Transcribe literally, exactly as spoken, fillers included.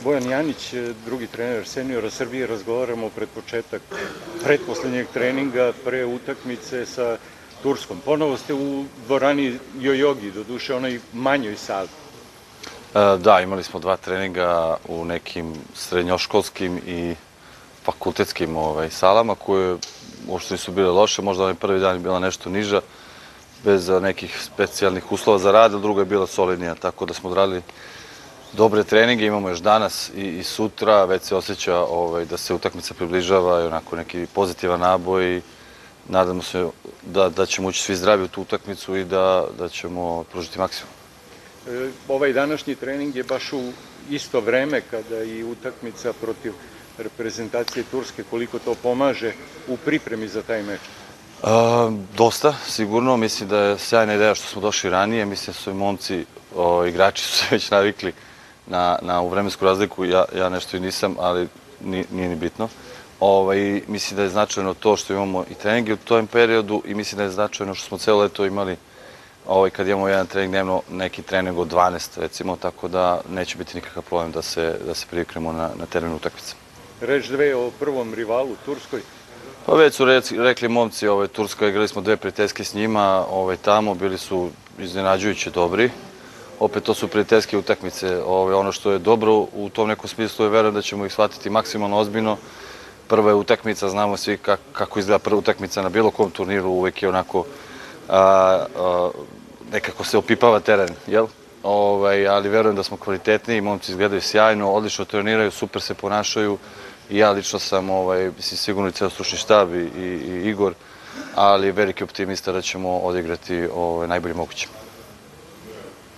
Bojan Janić, drugi trener seniora Srbije, razgovaramo pred početak pretposlednjeg treninga pre utakmice sa Turskom. Ponovo ste u dvorani Jojogi, doduše onoj manjoj sali. Da, imali smo dva treninga u nekim srednjoškolskim i fakultetskim salama koje uopšte nisu bile loše. Možda onaj prvi dan je bila nešto niža, bez nekih specijalnih uslova za rad, a druga je bila solidnija, tako da smo odradili dobre treninge, imamo još danas i sutra, već se osjeća da se utakmica približava i onako neki pozitivan naboj i nadamo se da ćemo ući svi zdravi u tu utakmicu i da ćemo pružiti maksimum. Ovaj današnji trening je baš u isto vreme kada i utakmica protiv reprezentacije Turske, koliko to pomaže u pripremi za taj meč? Dosta, sigurno. Mislim da je sjajna ideja što smo došli ranije. Mislim da su i momci, igrači su se već navikli na vremensku razliku. Ja nešto i nisam, ali nije ni bitno. Mislim da je značajno to što imamo i treninge u tom periodu i mislim da je značajno što smo celo leto imali kad imamo jedan trening dnevno, neki trening od dvanaest recimo, tako da neće biti nikakav problem da se priviknemo na terenu utakmice. Reč dve o prvom rivalu, Turskoj. Pa već su rekli momci, Turska, igrali smo dve prijateljske s njima tamo, bili su iznenađujuće dobri. Opet to su prijateljske utakmice. Ono što je dobro u tom nekom smislu je verujem da ćemo ih shvatiti maksimalno ozbiljno. Prva je utakmica, znamo svi kako izgleda prva utakmica na bilo kom turniru, uvek je onako nekako se opipava teren, jel? Ali verujem da smo kvalitetniji, momci izgledaju sjajno, odlično treniraju, super se ponašaju i ja lično sam sigurno i ceo stručni štab i Igor, ali veliki optimista da ćemo odigrati najbolje moguće.